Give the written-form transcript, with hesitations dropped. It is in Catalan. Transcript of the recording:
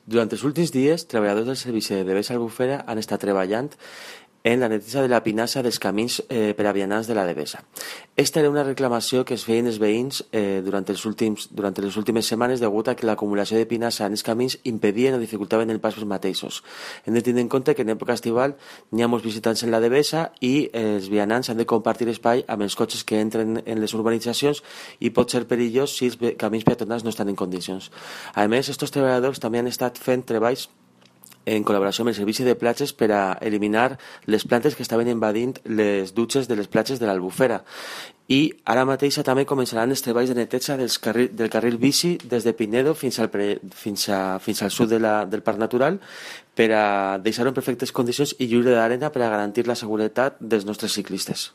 Durant els últims dies, treballadors del Servici de Devesa Albufera han estat treballant en la neteja de la pinassa dels camins per a vianants de la Devesa. Esta era una reclamació que es feien els veïns durant les últimes setmanes degut a que l'acumulació de pinassa en els camins impedien o dificultaven el pas pels mateixos. Hem de tenir en compte que en època estival n'hi ha molts visitants en la Devesa i els vianants han de compartir espai amb els cotxes que entren en les urbanitzacions i pot ser perillós si els camins peatonals no estan en condicions. A més, estos treballadors també han estat fent treballs en col·laboració amb el Servici de Platges per a eliminar les plantes que estaven invadint les dutxes de les platges de l'Albufera. I ara mateix també començaran els treballs de neteja del carril bici des de Pinedo fins al sud del Parc Natural per a deixar-ho en perfectes condicions i lliure d'arena per a garantir la seguretat dels nostres ciclistes.